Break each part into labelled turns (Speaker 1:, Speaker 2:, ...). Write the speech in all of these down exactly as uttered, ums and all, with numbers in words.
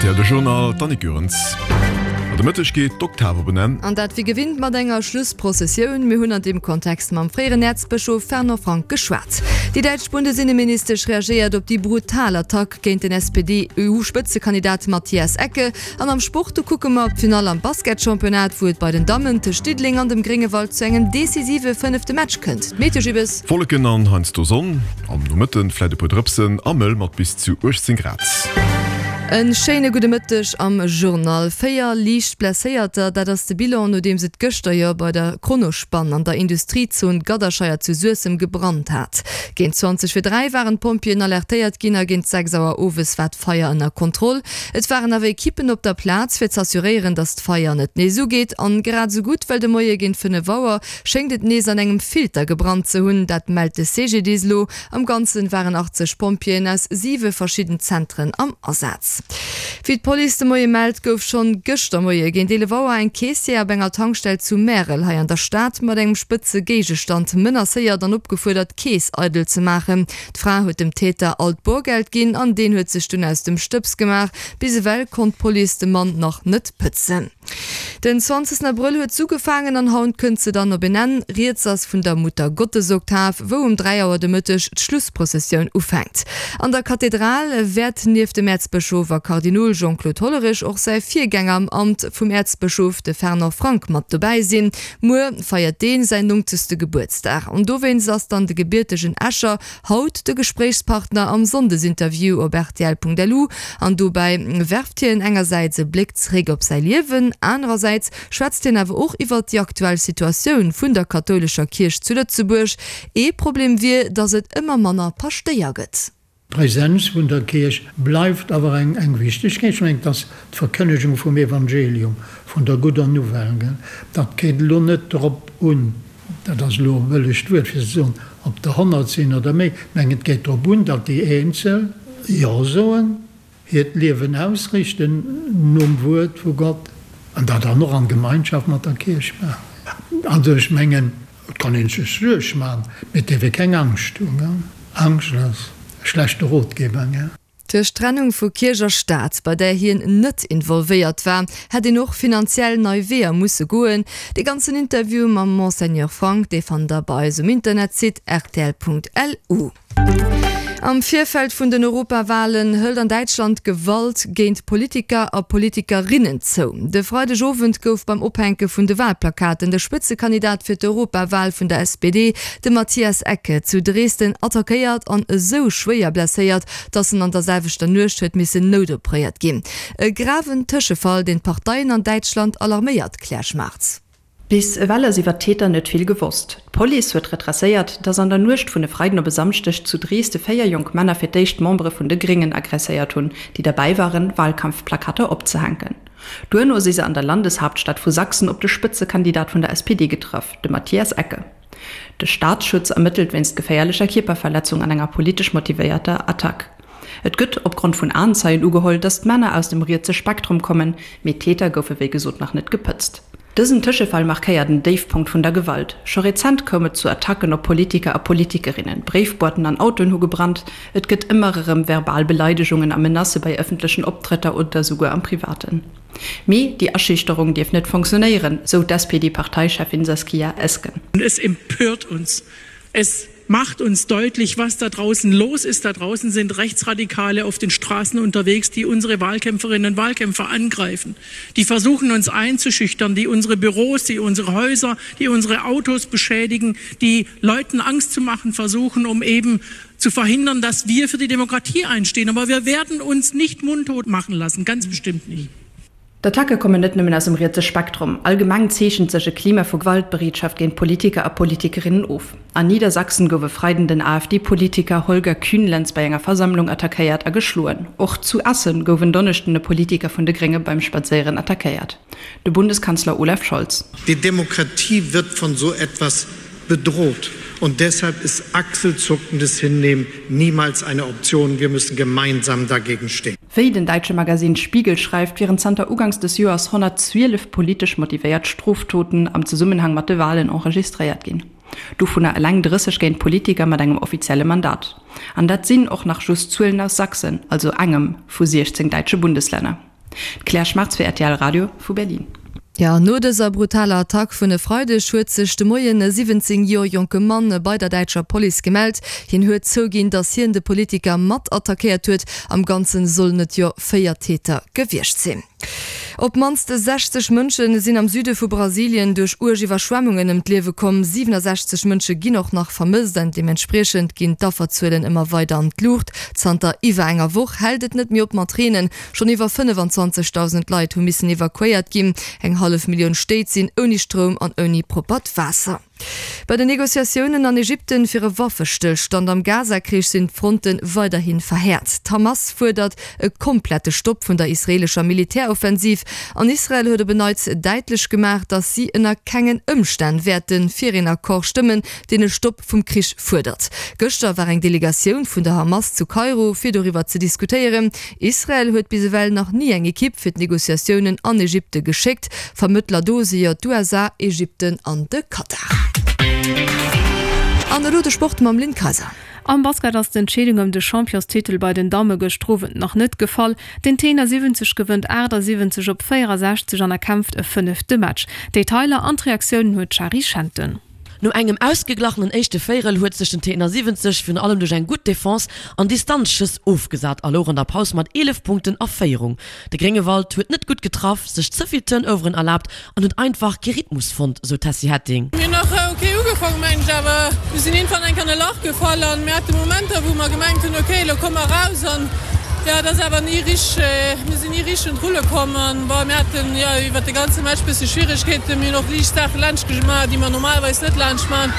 Speaker 1: R T L de Journal, d'Annick Goerens. An de Mëtteg geet d'Oktav op en Enn.
Speaker 2: An dat wéi gewinnt mat enger Schlussprozessioun. Mir hunn an deem Kontext mam fréieren Äerzbëschof Fernand Frank geschwat. Déi däitsch Bundesinneministesch reagéiert op déi brutal Attack géint den S P D-E U-Spëtzekandidat Matthias Ecke. An am Sport, do kucke mer op d'Finall am Basketchampionnat, wou et bei den Dammen tëscht Diddeleng an dem Gréngewald zu engem decisive fënnefte Match kënnt. D'Meteo Gibbes.
Speaker 1: Wolleken an heiansdo Sonn, am Nomëtten vläit e puer Drëpsen a mëll mat bis zu uechtzéng Grad.
Speaker 2: En schéine gudde Mëtteg am Journal. Véier liicht Blesséierter, dat ass de Bilan, nodeems et gëschter jo bei der Kronospan an der Industriezon Gadderscheier zu Suessem gebrannt hat. Géint zwanzeg vir dräi waren d'Pompjeeën alertéiert ginn a géint sechs Auer owes war d'Feier ënner Kontroll. Et waren awer Ekippen op der Plaz, fir z'assuréieren, datt d'Feier net nees ugeet. An grad esou gutt, well de Moie géint fënnef Auer schéngt et nees an engem Filter gebrannt ze hunn, dat mellt de C G D I S elo. Am Ganzen waren achtzeg Pompjeeën aus siwe verschidden Zentren am Asaz. Wéi d'Police de Moie mellt, gouf schonn gëschter Moie géint eelef Auer eng Caissière op enger Tankstell zu Märel hei an der Stad mat engem spëtze Géigestand menacéiert an opgefuerdert, d'Keess eidel ze maachen. D'Fra huet dem Täter all d'Borgeld ginn an deen huet sech dunn aus dem Stëbs gemaach. Bis ewell konnt d'Police de Mann nach net pëtzen. Den zwanzegsten Abrëll huet s'ugefaangen an haut kënnt se dann op en Enn. Rieds ass vun der Muttergottesoktav, wou um dräi Auer de Mëtteg d'Schlussprozessioun ufänkt. An der Kathedral wäert nieft dem Äerzbëschof a Kardinol Jean-Claude Hollerich och säi Virgänger am Amt vum Äerzbëschof, de Fernand Frank, mat dobäi sinn. Muer feiert deen säin nongzegste Gebuertsdag an dowéinst ass dann de gebiertegen Escher haut de Gespréichspartner am Sonndesinterview op rtl Punkt L U. An dobäi werft hien engersäits e Bléck zeréck op säi Liewen, anerersäits schwätzt hien awer och iwwert déi aktuell Situatioun vun der kathoulescher Kierch zu Lëtzebuerg. Ee Problem wier, datt et ëmmer manner Paschtéier gëtt.
Speaker 3: D'Präsenz vun der Kierch bleift awer eng eng wichteg. Ech mengen, et ass d'Verkënnegung vum Evangelium, vun der gudder Nouvelle. Dat geet elo net drop un, dat ass elo e bëllegt Wuert fir ze soen, ob der honnert sinn oder méi. Ech mengen, et geet drop un, datt déi Eenzel Jo soen, hiert Liewen ausrichten nom Wuert vu Gott an dat dann och an Gemeinschaft mat der Kierch maachen. Also ech mengen, et kann ee sech Suerg maachen, mee et dierf ee keng Angscht hunn. Angscht ass e schlechte Rotgeber.
Speaker 2: Duerch d'Trennung vu Kierch a Staat, bei där hien net involvéiert war, hätt een och finanziell nei Weeër musse goen. Dee ganzen Interview mam Monseigneur Frank, dee fannt der bei eis um Internetsite rtl Punkt L U. Am Virfeld vun den Europawalen hëlt an Däitschland d'Gewalt géint Politiker a Politikerinnen zou. De Freidegowend gouf beim Ophänke vun de Walplakaten de Spëtzekandidat fir d'Europawal vun der S P D, de Matthias Ecke, zu Dresden attackéiert an esou schwéier blesséiert, datt en an der selwechter Nuecht huet missen noutoperéiert ginn. E graven Tëschefall, deen d'Parteien an Däitschland alarméiert, Claire Schmartz.
Speaker 4: Bis ewell ass iwwer d'Täter net vill gewosst. D'Police huet retracéiert, dass an der Nuecht vun e Freiden op e Samschdeg zu Dresde véier jonk Männer fir d'éischt Membere vun de Gréngen aggresséiert hunn, déi derbäi waren, Walkampfplakater opzehänken. Duerno si se an der Landeshaaptstad vu Sachsen op de Spëtzekandidat vun der S P D getraff, de Matthias Ecke. De Staatsschutz ermëttelt wéinst geféierlecher Kierperverletzung an enger politesch motivéierter Attack. Et gëtt opgrond vun Aenzeien ugeholl, dass d'Männer aus dem rietse Spektrum kommen, mee d'Täter goufe wéi gesot nach net gepëtzt. Dësen Tëschefall markéiert en Déifpunkt vun der Gewalt. Scho rezent koum et zu Attacken op Politiker a Politikerinnen, Bréifboîten an Autoen hu gebrannt, et gëtt ëmmer erëm verbal Beleidegungen a Menacë bei ëffentlechen Optrëtter oder souguer am Privaten. Mee déi Aschüchterung dierf net funktionéieren, sou d'S P D-Parteicheffin Saskia Esken.
Speaker 5: Es empört uns. Es macht uns deutlich, was da draußen los ist. Da draußen sind Rechtsradikale auf den Straßen unterwegs, die unsere Wahlkämpferinnen und Wahlkämpfer angreifen, die versuchen, uns einzuschüchtern, die unsere Büros, die unsere Häuser, die unsere Autos beschädigen, die Leuten Angst zu machen versuchen, um eben zu verhindern, dass wir für die Demokratie einstehen. Aber wir werden uns nicht mundtot machen lassen, ganz bestimmt nicht.
Speaker 4: D'Attacke kommen net nëmmen aus dem rietse Spektrum. Allgemeng zeechent sech e Klima vu Gewaltbereetschaft géint Politiker a Politikerinnen of. An Niedersachsen gouf e Freiden den A F D-Politiker Holger Kühnlenz bei enger Versammlung attackéiert a geschloen. Och zu Essen gouf en Donneschden e Politiker vun de Grénge beim Spadséieren attackéiert. De Bundeskanzler Olaf Scholz.
Speaker 6: Die Demokratie wird von so etwas bedroht. Und deshalb ist achselzuckendes Hinnehmen niemals eine Option. Wir müssen gemeinsam dagegen stehen.
Speaker 4: Wéi den däitsche Magasinn Spiegel schreift, wieren zanter uganks des Joers honnertzwielef politesch motivéiert Stroftoten am Zesummenhang mat de Walen enregistréiert ginn. Dovunner eleng drësseg géint Politiker mat engem offizielle Mandat. An dat sinn och nach just Zuelen aus Sachsen, also engem vu siechzéng däitsche Bundeslänner. D'Claire Schmartz fir rtl Radio vu Berlin.
Speaker 2: Jo, no dëser brutaler Attack vun e Freideg huet sech de Moien e siwwenzéng Joer jonke Mann bei der däitscher Police gemellt. Hien huet zouginn, datt hien de Politiker mat attackéiert huet. Am Ganze sollen et jo véier Täter gewiescht sinn. Op d'mannst sechzeg Mënsche sinn am Süde vu Brasilien duerch uerg Iwwerschwemmungen ëm d'Liewe komm. siwenasechzeg Mënsche ginn och nach vermësst an deementspriechend ginn d'Afferzuelen ëmmer weider an d'Luucht. Zanter iwwer enger Woch hält et net méi op mat Reenen. Schonn iwwer fënnefenzwanzegdausend Leit hu missen evakuéiert ginn. Eng hallef Millioun Stéit sinn ouni Stroum an ouni proppert Waasser. Bei den Negociatiounen an Ägypten fir e Waffestëllstand am Gaza-Krich sinn d'Fronte weiderhi verhäert. D'Hamas fuerdert e komplette Stopp vun der israeelescher Militäroffensiv an Israel huet op en Neits däitlech gemaach, datt si ënner kengen Ëmstänn wäerte fir een Accord stëmmen, deen e Stopp vum Krich fuerdert. Gëschter war eng Delegatioun vun der Hamas zu Kairo, fir doriwwer ze diskutéieren. Israel huet bis ewell nach ni eng Ekipp fir d'Negociatiounen an Ägypte geschéckt. Vermëttler do si jo d'USA, Ägypten an de Katar. An elo de Sport mam Lynn Kayser.
Speaker 7: Am Basket ass d'Entscheedung ëm de Championstitel bei den Damme gëschter Owend nach net gefall. Den T siwwenzeg gewënnt achtasiwwenzeg op véierasechzeg an erkämpft e fënnefte Match. D'Detailer an d'Reaktiounen huet d'Shari Schenten.
Speaker 8: No engem ausgeglachenen éischte Véierel huet sech den T siwwenzeg virun allem duerch eng gutt Defense an Distanzschëss ofgesat a louch an der Paus mat eelef Punkten a Féierung. De Gréngewald huet net gutt getraff, sech ze vill Turnoveren erlaabt an huet einfach kee Rhythmus fonnt, sou d'Tessy Hetting.
Speaker 9: Mir hunn nach ok ugefaangen, mengen ech, awer mir sinn iergendwann eng Kéier an e Lach gefall an mir hate Momenter, wou mer gemengt hunn, ok, elo komme mer eraus an jo, et ass awer ni richteg, mir sinn ni richteg un d'Rulle komm an bon, mir haten jo iwwert de ganze Match bësse Schwieregkeeten. Mir hunn och liicht Saache laanscht gemaach, déi mer normalerweis net laanscht maachen.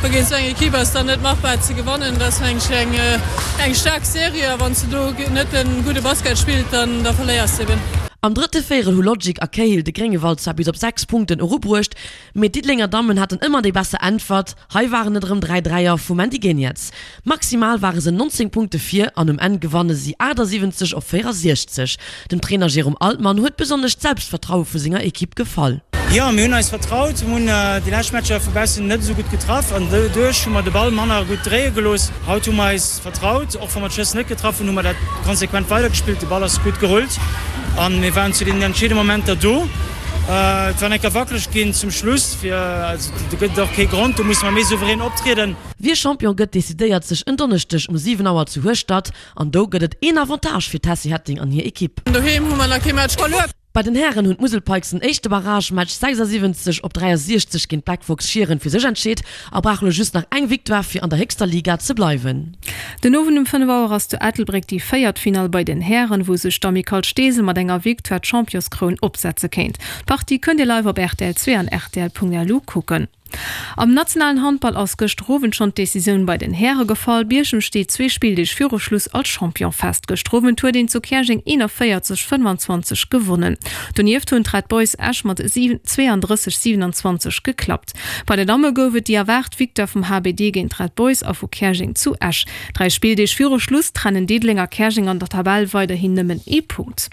Speaker 9: Bon, géint esou eng Ekipp ass dann net machbar ze gewannen. Dat ass mengen ech eng eng staark Serie a wann s de do net e gudde Basket spillt, dann da verléiers de eben.
Speaker 8: Am drëtte Véierel hu Logic a Cahill de Gréngewald zwar bis op sechs Punkten erubruecht, mee d'Diddelenger Dammen haten ëmmer déi besser Äntwert. Hei waren et erëm dräi Dräier vum Mandy Geniets. Maximal ware se nonzéng Punkte vir an um Enn gewanne si achtasiwwenzeg op véierasiechzeg. Dem Trainer Jérôme Altmann huet besonnesch d'Selbstvertraue vu senger Ekipp gefall.
Speaker 10: Jo, mir hunn eis vertraut, mir hunn déi lescht Matcher vu baussen net esou gutt getraff an doduerch hu mer de Ball manner gutt dréie gelooss. Haut hu mer eis vertraut, och wa mer d'Schëss net getraff hunn, hu mer dat konsequent weidergespillt. De Ball ass gutt gerullt a mir waren zu den entscheedende Momenter do. Et war enker wackeleg ginn zum Schluss, fir also do gëtt et och kee Grond, do musse mer méi souverän optrieden.
Speaker 8: Wie Champion gëtt, decidéiert sech en Donneschdeg um siwen Auer zu Hueschtert an do gëtt et een Avantage fir d'Tessy Hetting an hir Ekipp.
Speaker 9: Doheem hu mer nach kee Match verluer.
Speaker 8: Bei den Hären hunn d'Musel Pikes den éischte Barragematch sechsasiwwenzeg op dräiasiechzeg géint d'Black Fox Schieren fir sech entscheet a brauche lo just nach eng Victoire fir an der héchster Liga ze bleiwen.
Speaker 7: Den Owend um fënnef Auer ass zu Ettelbréck déi véiert Finall bei den Hären, wou sech d'Amicale Steesel mat enger Victoire d'Championskroun opsetze kéint. D'Partie kënnt Dir live op rtl zwee an rtl.lu kucken. Am nationalen Handball ass gëschter Owend schonn d'Decisioun bei den Häre gefall. Bierchem steet zwee Spilldeeg viru Schluss als Champion fest. Gëschter Owend huet een zu Käerjeng eenanvéierzeg, fënnwanzwanzeg gewonnen. Donieft hunn d'Red Boys Esch mat zweeandrësseg, siewenanzwanzeg geklappt. Bei den Damme gouf et déi erwaart Victoire vum H B D géint d'Red Boys a vu Käerjeng zu Esch. Dräi Spilldeeg viru Schluss trennen Diddeleng a Käerjeng an der Tabell weiderhin nëmmen ee Punkt.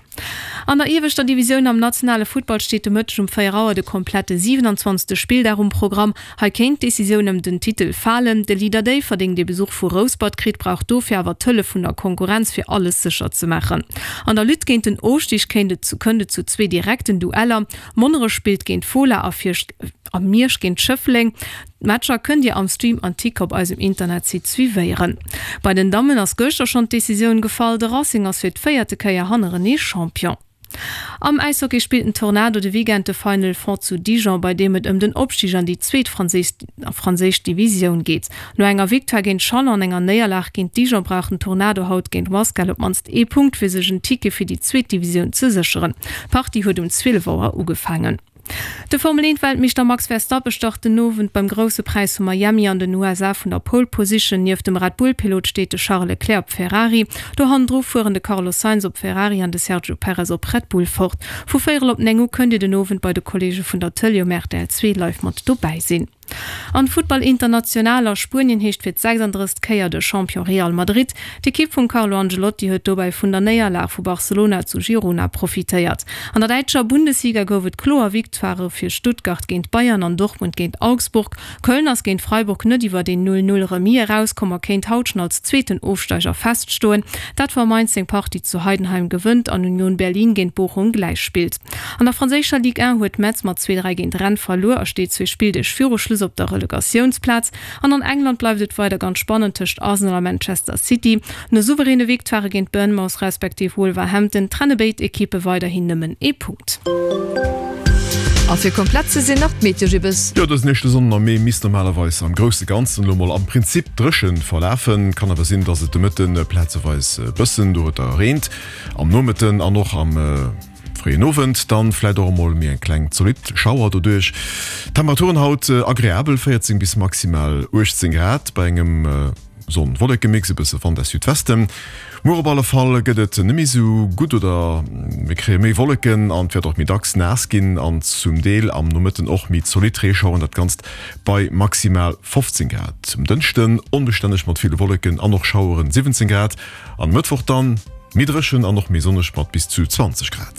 Speaker 7: An der ieweschter Divisioun am nationale Futtball steet de Mëtteg um véier Auer de komplette siwenanzwanzegste Spilldag um Programm. Hei kéint d'Decisioun ëm den Titel falen. De Leader Déifferdeng, dee Besuch vu Rouspert kritt, brauch dofir awer d'Hëllef vun der Konkurrenz, fir alles sécher ze maachen. An der Lutte géint den Ofstig kéint et kënnt et zu zwee direkten Dueller. Monnerech spillt géint Fola a a Miersch géint Schëffleng. D'Matcher kënnt Dir am Stream an Ticker op eisem Internetsite suivéieren. Bei den Dammen ass gëschter schonn d'Decisioun gefall, de Racing ass fir d'véierte Kéier hannerenee Champion. Am Äishockey spillt den Tornado de Weekend de Final Four zu Dijon, bei deem et ëm den Opstig an déi zweet franséisch Divisioun geet. No enger Victoire géint Chalon an enger Néierlag géint Dijon brauch den Tornado haut géint Wasquehal op d'mannst ee Punkt, fir sech en Ticket fir déi zweet Divisioun ze sécheren. D'Partie huet um zwielef Auer ugefaangen. De Formel eent Weltmeeschter Max Verstappen start den Owend beim Grousse Präis vu Miami an den U S A vun der Pole Position. Nieft dem Red Bull Pilot steet de Charles Leclerc op Ferrari. Do hannendru fueren de Carlos Sainz op Ferrari an de Sergio Perez op Red Bull fort. Vu véierel op néng u kënnt Dir den Owend bei de Kolleege vun der Tëlee um R T L zwee live mat dobäi sinn. An Futtball international a Spuenien heescht fir d'sechsanddrësst Kéier de Champion Real Madrid. D'Ekipp vum Carlo Ancelotti huet dobäi vun der Néierlag vu Barcelona zu Girona profitéiert. An der däitscher Bundesliga gouf et kloer Victoirë fir Stuttgart géint Bayern an Dortmund géint Augsburg. Köln ass géint Freiburg net iwwert een Null Null Remis erauskomm a kéint haut schonn als zweeten Ofsteiger feststoen. Dat wa Mainz seng Partie zu Heidenheim gewënnt an Union Berlin géint Bochum gläich spillt. An der franséischer Ligue un huet Metz mat zwee dräi géint Rennes verluer a steet zwee Spilldeeg viru Schluss op der Relegatiounsplaz. An an England bleift et weider ganz spannend tëscht Arsenal a Manchester City. No souveräne Victoirë géint Bournemouth respektiv Wolverhampton trenne béid Ekippe weiderhin nëmmen ee Punkt.
Speaker 2: A fir komplett ze sinn nach d'Meteo Gibbes.
Speaker 1: Jo, dësen éischte Sonnden am Mee misst normalerweis am grousse Ganzen elo mol am Prinzip dréchen verlafen. Kann awer sinn, dass et de Mëtten plazeweis e bëssen dorueter reent. Am Nomëtten an och am fréien Owend dann vläit och emol méi eng kleng zolidd Schauer doduerch. Temperaturen haut agreabel, véierzéng bis maximal uechtzéng Grad bei engem Sonn-Wolleke-Mix, e bësse Wand aus Südwesten. Muer op alle Fall gëtt et net méi sou gutt oder mir kréie méi Wolleken an et wäert och méi dacks naass ginn an zum Deel am Nomëtten och méi zolidd Reeschaueren, dat Ganzt bei maximal fofzéng Grad. Um Dënschden onbestänneg mat ville Wolleken an och Schaueren, siwwenzéng Grad, an e Mëttwoch dann méi dréchen an och méi sonneg mat bis zu zwanzeg Grad.